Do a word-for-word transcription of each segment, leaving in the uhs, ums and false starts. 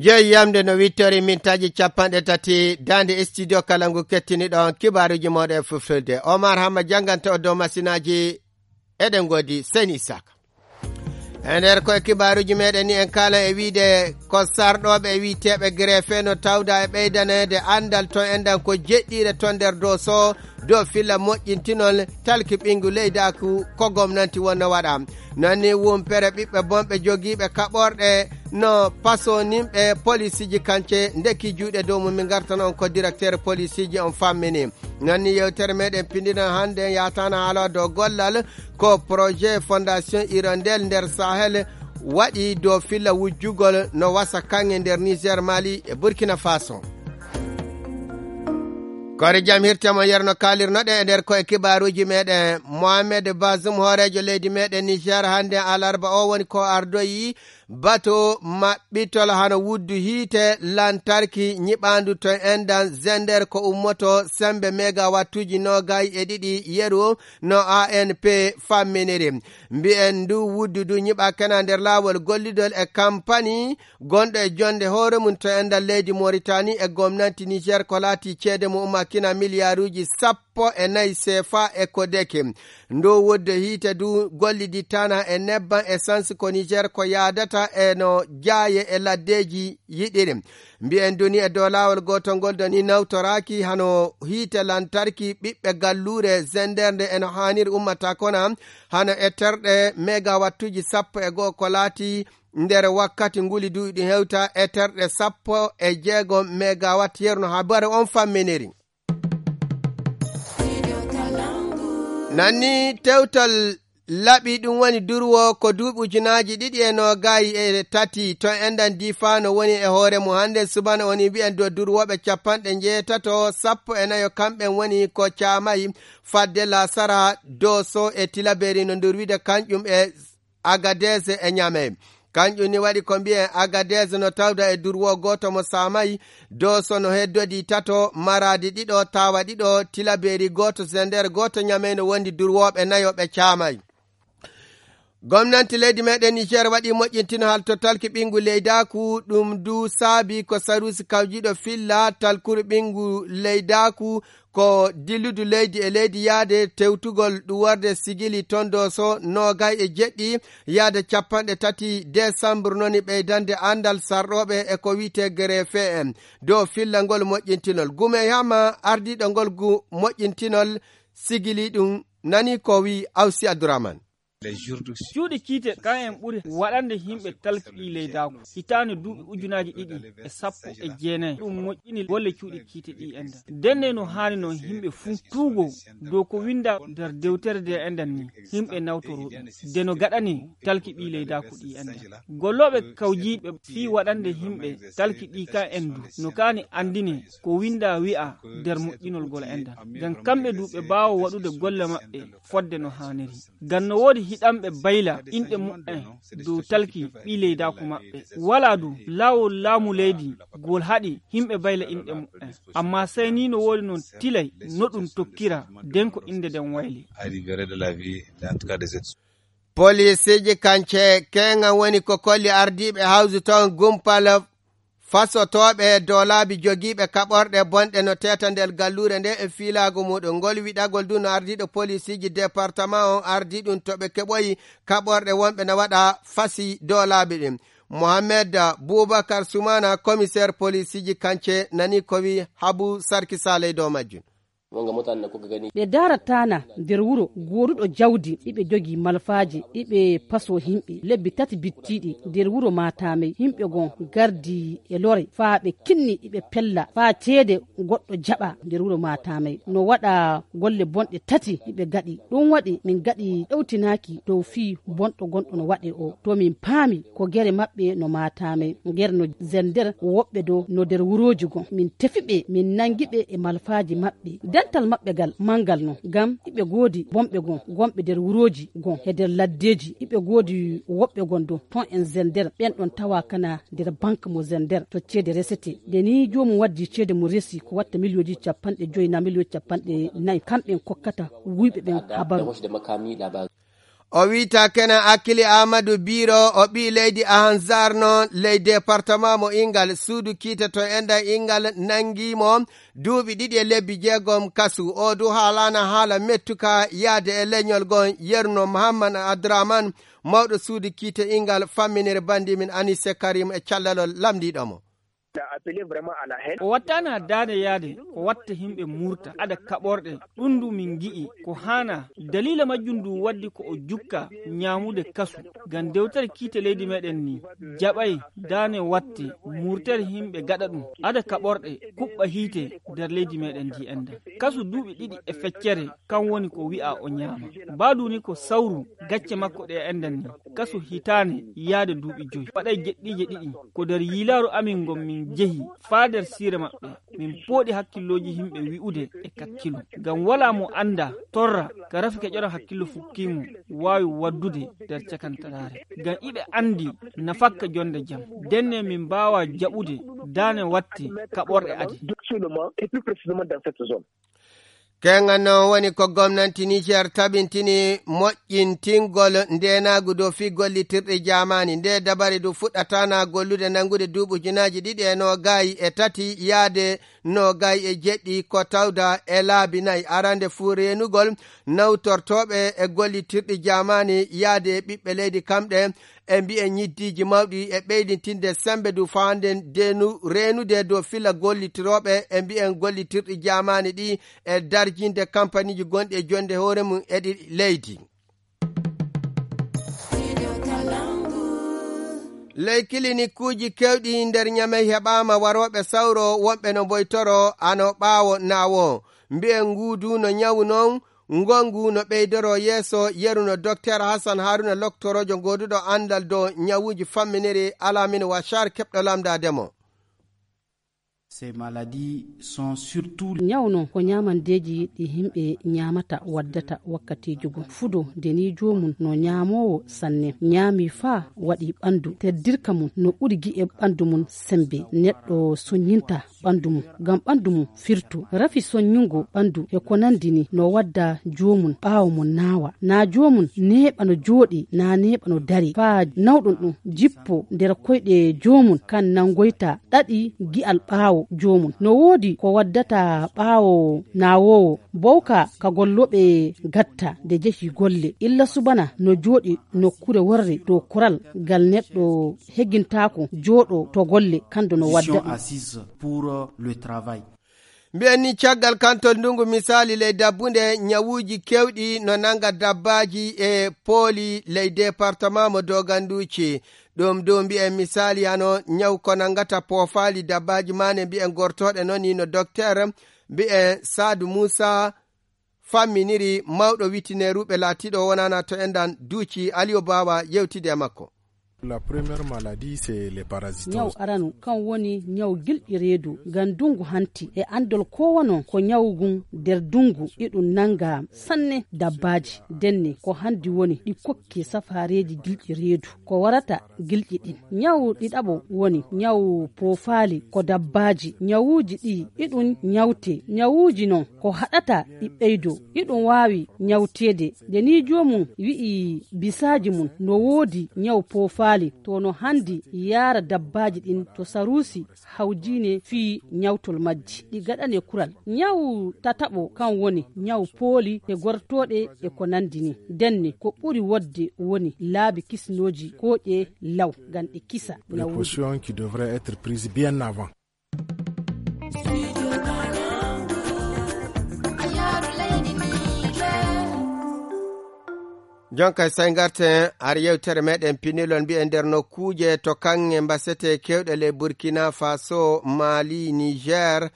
Jeyi yamde no wittori mintaaji capanɗe tati, daande studio kala ngu kettiniɗon kibaaruuji mooɗon e fulfulde. Omar Hamma jannganta o dow masinaaji, eɗen ngoodi Seyni Isaka. E nder koye kibaaruuji meɗen ni en kaala e wiide ko sarɗooɓe e wiiteeɓe greffe no tawda e ɓeydaneede anndal to enɗan ko jeɗɗiire to nder doso dow filla moƴƴintinol talki ɓinngu leydaaku ko gomnanti wonno waɗa. Noon ni wumpere ɓiɓɓe bonɓe jogiiɓe kaɓorɗe no pasoninɓe polisiiji kance ndeki juuɗe dow mum. Min ngartan on ko directeur polisiiji on fammini. Noon ni yewtere meɗen pindiran hannde yahtaano haala dow gollal ko projet Fondation Hirondelle nder Sahel waɗi dow filla wujjugol no wasa kaŋŋe nder Niger, Mali e Burkina Faso. Koore jam hirte mon yerno kaalirnoɗe e nder koye kibaaruuji meɗen. Mohamed Bazoum, hooreejo leydi meɗen Niger, hannde alarba o woni ko ardoyi bato maɓɓitol hano wuddu hiite lantarki nyiɓaandu to enɗan Zender ko ummoto sembe megawattuuji noogay e ɗiɗi yeru no A N P famminiri. Mbi'en ndu wuddu ndu nyiɓakena nder laawol gollidol e kampani gonɗo e jonde hoore mum to enɗan leydi Moritani e gomnanti Niger ko laati ceede mo ummakina miliyaaruuji sappo e nayi sefa e ko deke. Ndu wuddu hiite du gollidittana e nebban essence ko Niger ko yaadata e no jaaye e laddeeji yiɗiri. Mbi'en duni e dow laawol gootol ngol doni nawtoraaki hano hiite lantarki ɓiɓɓe galluure Zender nde eno haaniri ummata kona hano e terɗe megawattuuji sappo e go'o ko laati nder wakkati nguli duuɓi ɗi hewta e terɗe sappo e jeego megawatt yerno habare on famminiri. Nanni tewtal laɓi ɗum woni durwo ko duuɓi ujunaaji ɗiɗi e noogay e tati to enɗan difaano woni e hoore mum hannde subana woni mbi'en dow durwooɓe capanɗe njeetato sappo e nayo kamɓen woni ko caamay fadde lasara doso e tilaberi no ndur wiide kanƴum e Agadez e Ñamey. Kanƴum ni waɗi ko mbiyen Agadez no tawda e durwo gooto mo saamay, Doso no heddodii tato, Maraadi ɗiɗo, Tawa ɗiɗo, Tilabeeri gooto, Zender gooto, Ñamey no wondi durwooɓe nayo ɓe caamay. Gomnanti leydi meɗen Niger waɗi moƴƴintino haltotalki ɓinngu leydaaku, ɗum du saabi ko sarusi kawjiiɗo filla talkuru ɓinngu leydaaku ko dilludu leydi e leydi yaade tewtugol ɗuworde sigili ton Doso noogay e jeɗɗi yaade capanɗe tati desambur noni ɓeydande anndal sarɗooɓe e ko wiyetee gerefe en dow fillangol moƴƴintinol. Gume Yama ardiiɗo ngol gu moƴƴintinol sigili ɗum nani ko wi Awsi Abdourahmane. Cuuɗi kiite kan en ɓuri waɗande yimɓe talki ɗi leydaaku hitaande duuɓi ujunaaji ɗiɗi e sappo e jeenayi. Ɗum moƴƴini golle cuuɗi kiite ɗi enɗan. Denne no haani noon yimɓe fuu tuugo dow ko winnda nder dewtere nde enɗan ni yimɓe nawtoro ɗum. De no gaɗani talki ɗi leydaaku ɗi enɗan. Gollooɓe kawjiiɓe fii waɗande yimɓe talki ɗi kan en du no kaani anndine ko winnda wi'a nder moƴƴinol gol enɗan. Ngam kamɓe du ɓe mbaawa waɗude golle maɓɓe fodde no haaniri. Ngam no woodi hiɗanɓe bayla inɗe muɓɓen dow talki ɓii leydaaku maɓɓe. Walaa du laawol laamu leydi ngol haɗi yimɓe bayla inɗe muɓɓen. Ammaa sey ni no woodi noon tilay no ɗum tokkira den ko innde nden wayli. Poliisiiji kance keeŋan woni ko kolli ardiiɓe hawsu toon gumpal fasotooɓe doolaabi jogiiɓe kaɓorɗe bonɗe no teeta nder galluure nde e fiilaagu muuɗum. Ngol wiɗagol du no ardiiɗo poliisiiji departama on ardii ɗum to ɓe keɓoyi kaɓorɗe wonɓe no waɗa fasi doolaabi ɗin. Mohamed Bubakar Sumana, komiseer poliisiiji kance, nani ko wi Habu Sarki Saaley dow majjum. Ɓe daarataana nder wuro gooduɗo jawdi, iɓe jogii malfaaji, iɓe pasoo himɓe. Lebbi tati bittiiɗi nder wuro Matamey, himɓe gon gardi e lore, faa ɓe kinni iɓe pella, faa ceede goɗɗo jaɓa nder wuro Matamey. No waɗa golle bonɗe tati iɓe gaɗi. Ɗum waɗi min gaɗi ɗowtinaaki dow fii bonɗo gonɗo no waɗe o. To min paami ko gere maɓɓe no Matamey, gere no Zender, woɓɓe do no nder wurooji gon. Min tefi ɓe, min nangi ɓe e malfaaji maɓɓe. Dental maɓɓe gal mangal non, ngam iɓe goodi bonɓe gon, gonɓe nder wurooji gon, e nder laddeeji. Iɓe goodi woɓɓe gon do ton en Zender, ɓen ɗon tawa kana nder bank mo Zender, to ceede resete. Nde ni joomum waddi ceede mum resi, ko watta miliyonji capanɗe joyi na miliyon capanɗe nayi, kamɓen kokkata wuyɓe ɓen habaru. O wiyta Kenan Akili Aamadu Biiro, o ɓii leydi Ahanzar noon, ley departement mo Inngal. Suudu kiite to enɗan Inngal nanngii mo duuɓi ɗiɗi e lebbi jeegom kasu. O du haalaana haala mettuka yahde e leñol goo. Yerno Muhammad Abdurahman, mawɗo suudu kiite Inngal, famminiri banndi men Anise Karim e callalol lamndiiɗo mo. O wattaana daande yahde ko watta yimɓe murta aɗa kaɓorɗe. Ɗum ndu min ngi'i ko haana. Daliila majjum ndu waddi ko o jukka ñaamude kasu. Ngam dewtere kiite leydi meɗen ni jaɓay daane watte murtere yimɓe gaɗa ɗum aɗa kaɓorɗe kuɓɓa hiite nder leydi meɗen ndi enɗan. Kasu duuɓi ɗiɗi e feccere kan woni ko wi'a o ñaama. Mbaadu ni ko sawru gacce makko ɗe enɗan ni. Kasu hitaande yahde duuɓi joyi. Waɗay jeɗɗiije ɗiɗi ko nder yiilaaru amin ngon min jehi faa nder siire maɓɓe. Min pooɗi hakkillooji yimɓe wi'ude e kakkilu. Ngam walaa mo annda torra ka rafi keƴoɗon hakkillo fukkiimo waawi waddude nder cakantaraare. Ngam iɓe anndi nafakka jonnde jam. Ndenne min mbaawaa jaɓude daane watte kaɓorɗe adi. Keŋŋan noon woni ko gomnanti Niger tabintini moƴƴintingol ndeenaagu dow fii gollitirɗe jaamaani. Ndee dabare du fuɗɗataana gollude nanngude duuɓi ujunaaji ɗiɗi e noogay e tati yahde noogay e jeɗɗi ko tawda e laabi nay. Arande fuu reenugol nawtortooɓe e gollitirɗi jaamaani yahde e ɓiɓɓe leydi kamɗe e mbiyen ñiddiiji mawɗi e ɓeydintinde semmbe du fawande ndeenu reenude dow filla gollitirooɓe e mbiyen gollitirɗi jaamaani ɗi e darjinde kampaniiji gonɗi e jonnde hoore mum e ɗi leydi. Ley kilinikuuji keewɗi nder Ñamey heɓaama warooɓe sawro wonɓe no mboytoro ano ɓaawo naawo. Mbiyen nguudu no ñawu noon, ngongu no ɓeydoro yeeso, yeru no Dokteer Hassan Haruna loktoroojo gooduɗo anndal dow ñawuuji famminiri Alamine Wachar keɓɗo lamndaade mo. Ces maladies sont surtout Ñaw noon ko ñaamandeeji ɗi yimɓe ñaamata waddata wakkatiiji goo. Fudo nde nii joomum no ñaamoowo sanne, ñaami faa waɗi ɓanndu, teddirka mum no ɓuri gi'e ɓanndu mum semmbe. Neɗɗo soññinta ɓanndu mum ngam ɓanndu mum firtu. Rafi soññungo ɓanndu e ko nanndi nii no wadda joomum ɓaawo mum naawa. Naa joomum neeɓa no jooɗii, naa neeɓa no darii. Faa nawɗum ɗum jippo nder koyɗe joomum kan nanngoyta ɗaɗi gi'al ɓaawo joomum. No woodi ko waddata ɓaawo naawoowo bowka ka gollooɓe gatta nde jehi golle. Illa subana no jooɗi nokkuure worre dow kural ngal neɗɗo hegintaako jooɗo to golle kanndo no wadda ɗum. Assise pour le travail. Mbiyen ni caggal kanto ndunngu misaali ley dabbunde ñawuuji keewɗi no nannga dabbaaji e pooli ley departement mo doganduuci. Ɗum du mbiyen misaali hano ñaw ko nanngata poofaali dabbaaji maane mbiyen gortooɗe noon ni no dokteer mbiyen Saadu Muusa famminiri mawɗo witineeruɓe laatiiɗo wonana to enɗan duuci Aliyo Baawa yewtide e makko. La première maladie, c'est les parasites. Ñaw aranu kan woni ñaw gilɗi reedu ngam ndungu hanti e anndol kowa noon ko ñaw ngun nder ndungu iɗum nannga sanne dabbaaji. Ndenne ko hanndi woni ɗi kokki safaareeji gilɗi reedu ko warata gilɗi ɗin. Ñaw ɗiɗaɓo woni ñaw poofaali ko dabbaaji. Ñawuuji ɗi iɗum ñawte. Ñawuuji noon ko haɗata ɗi ɓeydo iɗum waawi ñawteede. Nde nii joomum wi'i bisaaji mum no woodi ñaw poofaali to no hanndi yaara dabbaaji ɗin to saruusi hawjiine fii ñawtol majji ɗi gaɗane kural. Ñaw tataɓo kan woni ñaw pooli e gortooɗe e ko nanndi nii. Ndenne ko ɓuri wodde woni laabi kisnooji kooƴe law ngam ɗi kisa ñawuuji. Précautions qui devraient être prises bien avant. Jonka e say ngarten har yewtere meɗen pinilon mbi'en nder nokkuuje to kaŋŋe mbasete kewɗe ley Burkina Faso, Mali, Niger,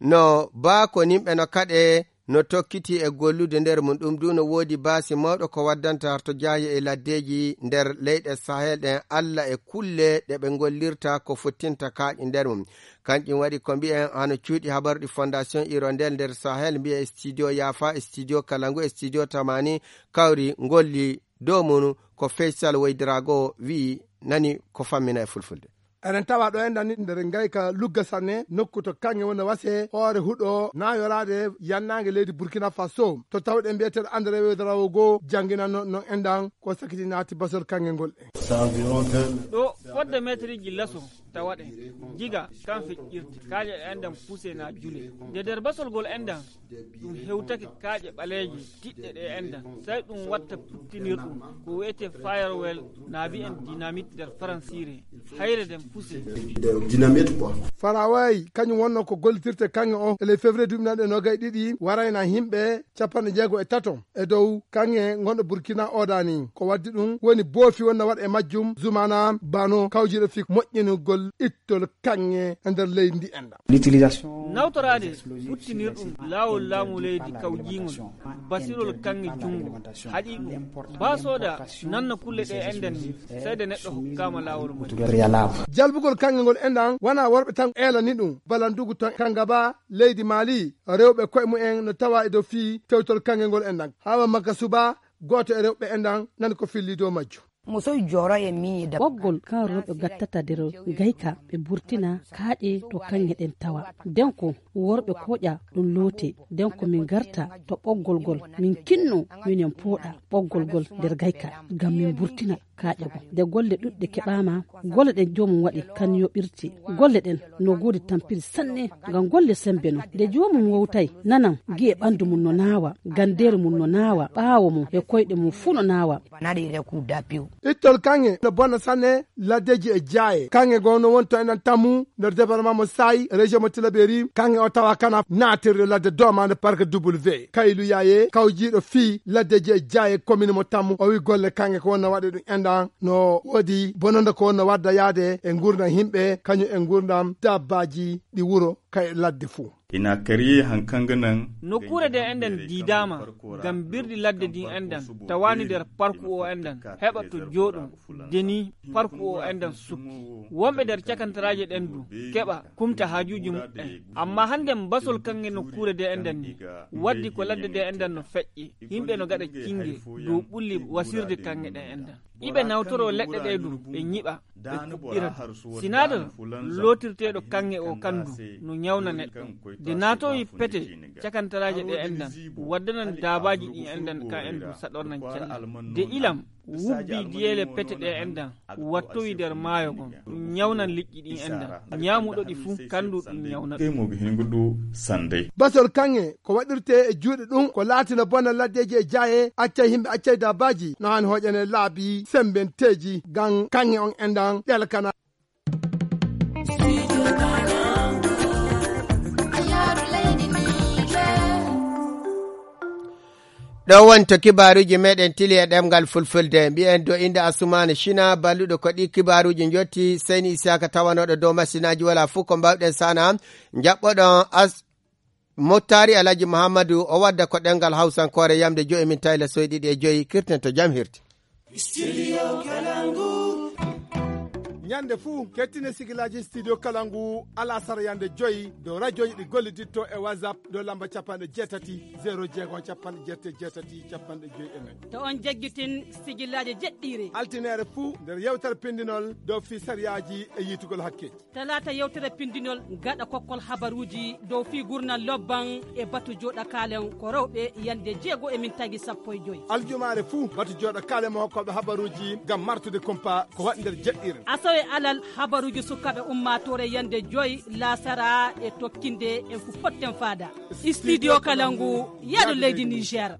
no baako nimɓe no kaɗe no tokkiti e gollude nder mum. Ɗum du no woodi baasi mawɗo ko waddanta har to jaahi e laddeeji nder leyɗe Sahel ɗen, alla e kulle ɗe ɓe ngollirta ko fottinta kaaƴe nder mum. Kanƴum waɗi ko mbi'en hano cuuɗi habaruɗi Fondation Hirondelle nder Sahel mbi'e studio Yafa, studio Kalangu e studio Tamani kawri ngolli dow mum ko Faisal Waydirago wi'i nani ko fammina e fulfulde. Eɗen tawa ɗo enɗan ni nder ngayka Lugga Sanne, nokku to kaŋŋe woni wase hoore huɗo naayoraade yannaange leydi Burkina Faso. To tawɗen mbiyeteeɗo André Ouédraogo jannginanno non enɗan ko sakiti naati basol kaŋŋe ngol. Ɗo fodde meetiriji laso tawaɗen jiga kan feƴƴirte kaaƴe ɗe enɗan puse na jule. Nde nder basol ngol enɗan ɗum hewtake kaaƴe ɓaleeje tiɗɗe ɗe enɗan, sai ɗum watta puttinirɗum ko wi'ete firewall na mbi'en dynamite nder faransiire. Hayre nden puse. Dynamite quoi. Faraway kañum wonno ko gollitirte kaŋŋe o e ley février duuɓi nanɗe nogay ɗiɗi warayna himɓe capanɗe jeego e tato e dow kaŋŋe gonɗo Burkina odani. Ko waddi ɗum woni boofi wonno waɗa e majjum zumana bano kawjiɗo fi moƴƴinugol ittol kaŋŋe e nder leydi ndi enɗan. Nawtoraade futtinirɗum laawol laamu leydi kawjiingol basirol kaŋŋe junngo haɗi ɗum. Ba sooda nanna kulle ɗe enɗan ni, sai de neɗɗo hokkaama laawol mum. Jalbugol kaŋŋe ngol enɗan wona worɓe tan eelani ɗum. Balandugu to Kangaba, leydi Mali, rewɓe koye mumen no tawa e dow fii tewtol kaŋŋe ngol enɗan. Hawa makka suba, gooto e rewɓe enɗan nani ko filli dow majjum. Musoy joro e miñi da. Ɓoggol kan rewɓe gattata nder gayka ɓe burtina kaaƴe to kaŋŋe ɗen tawa. Den ko worɓe koƴa ɗum loote. Den ko min garta to ɓoggol gol, min kinno, minen pooɗa ɓoggol gol nder gayka ngam min burtina kaaƴe gol. Nde golle ɗuɗɗe keɓaama, golle ɗen joomum waɗi kan yoɓirte. Golle ɗen no goodi tampiri sanne ngam golle sembe non. Nde joomum wowtay, nanan gi'e ɓandu mum no naawa, gandeeru mum no naawa, ɓaawo mum e koyɗe mum fuu no naawa. Ittol kaŋŋe no bonna sanne laddeji e jaaye. Kaŋŋe goo no woni to enɗan Tammu nder département mo Saay, région mo Tilaberi. Kaŋŋe o tawa kana naatirde ladde doomande parc W. Kaylu Yaaye, kawjiiɗo fii laddeji e jaaye commune mo Tammu, o wi golle kaŋŋe ko wonno waɗe ɗum enɗan no woodi bononde ko wonno wadda yaade e ngurndan himɓe, kañum e ngurndan dabbaaji ɗi wuro kay ladde fuu. Ina kariye hankanga nan. Nokkuure de enɗan diidaama ngam birdi ladde din enɗan tawaani nder parku o enɗan heɓa to jooɗo deni parku o enɗan sukki. Wonɓe nder cakantaraaje ɗen du keɓa kumta haajuuji muɓɓen. Amma hannde basol kaŋŋe nokkuure de enɗan ni waddi ko ladde de enɗan no feƴƴe. Yimɓe no gaɗa cinnge dow ɓulli wasirde kaŋŋe ɗen enɗan. Iɓe nawtoro leɗɗe ɗe du ɓe ñiɓa ɓe kuɓɓira du. Sinadar lootirteeɗo kaŋŋe o kan du no ñawna neɗɗo. De naatowi pete cakantaraaje ɗe enɗan waddanan daabaaji ɗi enɗan ka en du saɗornan cella. De ilam wubbi diyeele pete ɗe enɗan wattowi nder maayo gon ɗum ñawnan liƴƴi ɗi enɗan. Ñaamuɗo ɗi fuu kan du ɗum ñawna ɗum. Mo hingudu sandai. Basol kaŋŋe ko waɗirte e juuɗe ɗum ko laatina bona laddeji e jaaye accay yimɓe accay dabbaaji no haani hoƴane laabi sembenteeji ngam kaŋŋe on enɗan ɗelkana. Ɗo woni to kibaaruuji meɗen tili e ɗemngal fulfulde. Mbiyen do innde Asumaana Cina, balluɗo ko ɗi kibaaruuji njotti, Seyni Isiyaka tawanooɗo dow masinaaji wala fuu ko mbaawɗen sana. Njaɓɓoɗon as-, Mottaari Alhaji Muhammadu, o wadda ko ɗemngal Hawsankoore yamde joyi min tayla soyɗi ɗi e joyi, kirten to jam hirti. Studio Kalangu. Ñande fuu, kettine sigilaaji Studio Kalangu, alasara yande joyi, dow rajooji ɗi golliditto e WhatsApp, dow lamba capanɗe jeetati, zero jeego, capanɗe jeetati, capanɗe joyi e nayi. To on jaggitin sigilaaji jeɗɗiire. Altineere fuu, nder yewtere pindinol, dow fii sariyaaji e yiitugol hakke. Talaata yewtere pindinol gaɗa kokkol habaruuji dow fii gurnal lobban e batu jooɗa kaalen ko rewɓe yande jeego e min tagi sappo e joyi. Aljumaare fuu batu jooɗa kaalen mo hokkooɓe habaruuji ngam martude kumpa ko waɗi nder jeɗɗiire. Asawe alal habaruuji sukaaɓe ummaatoore yande joyi laasara e tokkinde en fu fotten faada. Studio Kalangu, yaadu leydi Niger.